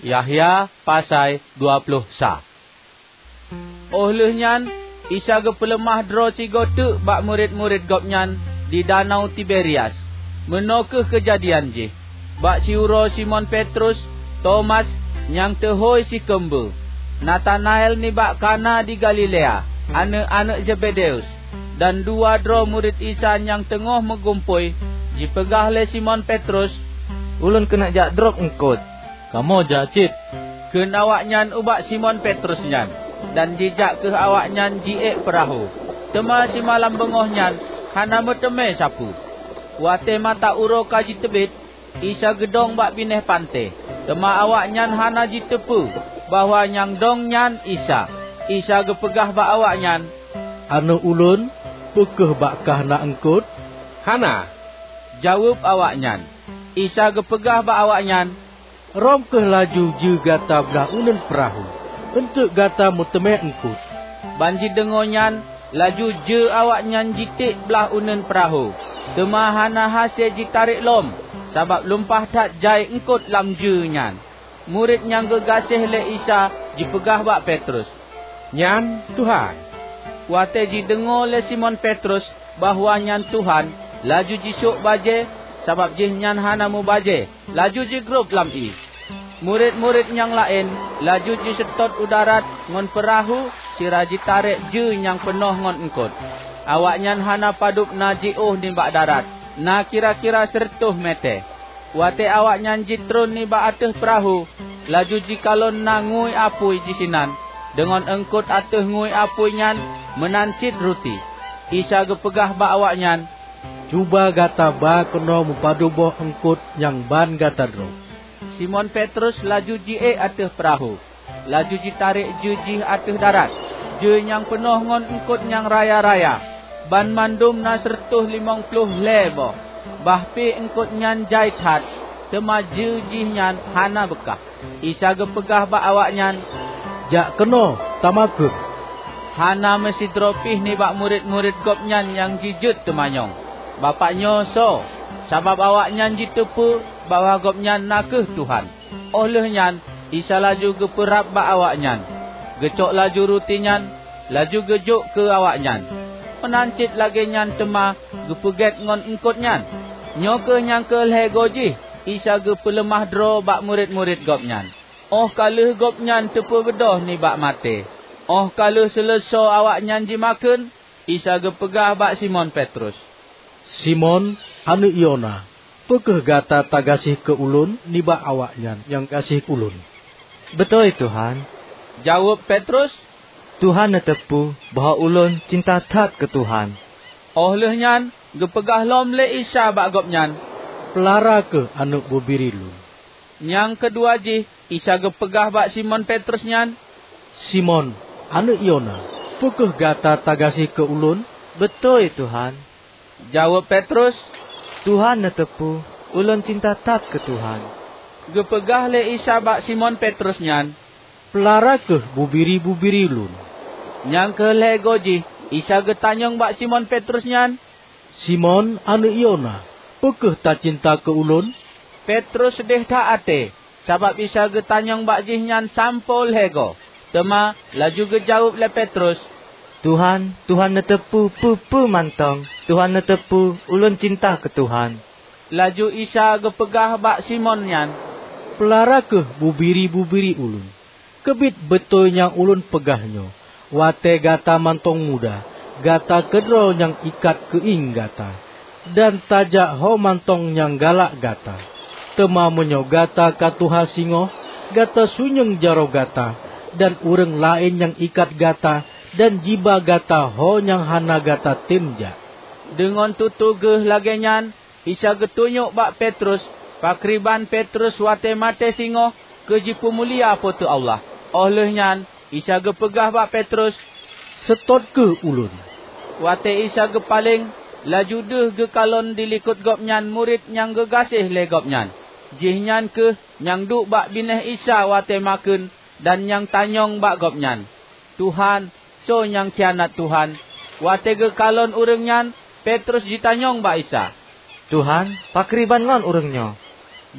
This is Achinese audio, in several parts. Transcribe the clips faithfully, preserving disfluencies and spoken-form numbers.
Yahya pasai dua ploh sa. Óh lheueh nyan, Isa geupeuleumah droe sigoe teuk bak murit-murit Gobnyan di Danau Tiberias. Meunoe kheueh keujadian jih: bak siuroe Simon Petrus, Tomas, nyang teuhôi Sikeumbeue, Natanael nibak Kana di Galilea, aneuëk-aneuëk Zebedeus, dan dua droe murit Isa nyang teungoh meugumpôi. Jipeugah lé Simon Petrus, "Ulôn keuneuk jak drob eungkot. Kamoe jak cit," kheun awaknyan ubak Simon Petrus nyan, dan jijak kheueh awaknyan jiék peurahô. Teuma simalam beungoh nyan hana meuteumé sapeue. Watée mata uroe ka jiteubiet, Isa geudong bak binéh panté, teuma awaknyan hana jiteupeue bahwa nyang dong nyan Isa. Isa geupeugah bak awaknyan, "Aneuëk Ulôn, peu kheueh bak kah na eungkot?" "Hana," jaweueb awaknyan. Isa geupeugah bak awaknyan, "Rhom kheueh laju jeue gata blaih uneuen peurahô, eunteuk gata meuteumé eungkot." Ban jideungoe nyan, laju jeue awaknyan jitiek blaih uneuen peurahô, teuma hana hase jitarek lom, sabab lumpah that jai eungkot lam jeue nyan. Murit nyang geugaséh lé Isa jipeugah bak Petrus, "Nyan Tuhan." Watée jideungoe lé Simon Petrus bahwa nyan Tuhan, laju jisôk bajée, sabab jihnyan hana mubajée, laju jigrob lam ié. Murit-murit nyang laén laju jiseutôt u darat ngon peurahô sira jitarek jeue nyang peunoh ngon eungkot. Awaknyan hana padub na jiôh nibak darat, na kira-kira sireutôh mètè. Watée awaknyan jitron nibak ateueh peurahô, laju jikalon na ngui apui disinan, deungon eungkot ateueh ngui apui nyan meunan cit ruti. Isa geupeugah bak awaknyan, "Cuba gata ba keunoe meupadub boh eungkot nyang ban gata drob." Simon Petrus laju jiék ateueh peurahô, laju jitarek jeue jih ateueh darat, jeue nyang peunoh ngon eungkot nyang raya-raya. Banmandum na sireutôh limong ploh lhée boh, bah pih eungkot nyan jai that, teuma jeue jihnyan hana beukah. Isa geupeugah bak awaknyan, "Jak keunoe, tamakheun." Hana meusidroe pih nibak murit-murit Gobnyan nyang jijeuet teumanyong, "Bapak nyoe soe?" Sabab awaknyan jiteupeue bahwa Gobnyan na kheueh Tuhan. Óh lheueh nyan, Isa laju geupeurab bak awaknyan, geucok laju ruti nyan, laju geujok keu awaknyan. Meunan cit lagée nyan teuma geupeugét ngon eungkot nyan. Nyoe kheueh nyang keu lhée goe jih Isa geupeuleumah droe bak murit-murit Gobnyan, óh ka lheueh Gobnyan teupeubeudôh nibak maté. Óh ka lheueh seuleusoe awaknyan jimakheun, Isa geupeugah bak Simon Petrus, "Simon, aneuëk Yona, peu kheueh gata tagaséh keu Ulôn nibak awaknyan nyang gaséh Ulôn?" "Beutôi, Tuhan," jaweueb Petrus. "Tuhan neuteupeue bahwa ulôn cinta that keu Tuhan." Óh lheueh nyan geupeugah lom lé Isa bak gobnyan, "Peulara kheueh aneuëk bubiri Lôn." Nyang keudua jih Isa geupeugah bak Simon Petrus nyan, "Simon, aneuëk Yona, peu kheueh gata tagaséh keu Ulôn?" "Beutôi, Tuhan," jaweueb Petrus. "Tuhan neuteupeue ulôn cinta that keu Tuhan." Geupeugah lé Isa bak Simon Petrus nyan, "Peulara kheueh bubiri-bubiri Lôn." Nyang keu lhée goe jih Isa geutanyong bak Simon Petrus nyan, "Simon, aneuëk Yona, peu kheueh tacinta keu Ulôn?" Petrus deuh that até, sabab Isa geutanyong bak jihnyan sampoe lhée goe. Teuma laju geujaweueb lé Petrus, "Tuhan, Tuhan neuteupeue peue-peue mantong. Tuhan neuteupeue ulôn cinta keu Tuhan." Laju Isa geupeugah bak Simon nyan, "Peulara kheueh bubiri-bubiri Ulôn. Keubiet beutôi nyang Ulôn peugah nyoe, watée gata mantong muda, gata keudroe nyang ikat keuieng gata, dan tajak ho mantong nyang galak gata. Teuma meunyoe gata ka tuha singoh, gata sunyueng jaroe gata, dan ureuëng laén nyang ikat gata dan jiba gata ho nyang hana gata tem jak." Deungon tutoe geuh lagée nyan, Isa geutunyok bak Petrus pakriban Petrus watée maté singoh keu jipeumulia Po teu Allah. Óh lheueh nyan Isa geupeugah bak Petrus, "Seutôt kheueh Ulôn." Watée Isa geupaleng, laju deuh geukalon dilikot Gobnyan murit nyang geugaséh lé Gobnyan. Jihnyan kheueh nyang duek bak binéh Isa watée makheun dan nyang tanyong bak Gobnyan, "Tuhan, soe nyang khianat Tuhan?" Watée geukalon ureuëng nyan, Petrus jitanyong bak Isa, "Tuhan, pakriban ngon ureuëng nyoe?"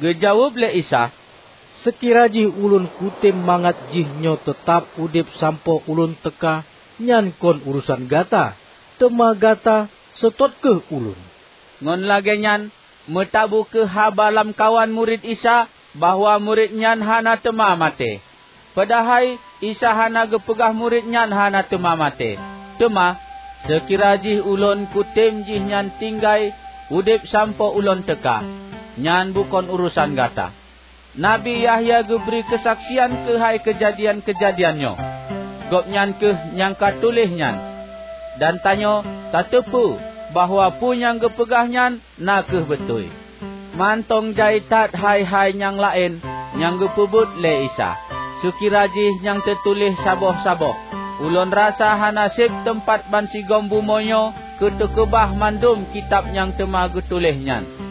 Geujaweueb lé Isa, Seukira jih ulôn kutem mangat jihnyoe teutab udeb sampoe ulôn teuka, nyan kon urosan gata, teuma gata seutôt kheueh ulôn." Ngon lagée nyan, meutabu kheueh haba lamkawan murit Isa bahwa murit nyan hana teuma maté. Padahai Isa hana geupeugah murit nyan hana teuma maté. Teuma, seukira jih ulôn kutem jihnyan tinggai udeb sampoe ulôn teuka, nyan bukon urosan gata. Nabi Yahya geubri keusaksian keuhai keujadian-keujadian nyoe. Gobnyan kheueh nyang ka tuléh nyan. Dan tanyoe tateupeue bahwa peue nyang geupeugah nyan na kheueh beutôi. Mantong jai that hai-hai nyang laén nyang geupeubuet lé Isa, seukira jih nyang teutuléh saboh-saboh. Ulôn rasa hana seb teumpat bansigom bumoe nyoe keu teukeubah mandum kitab nyang teuma geutuléh nyan.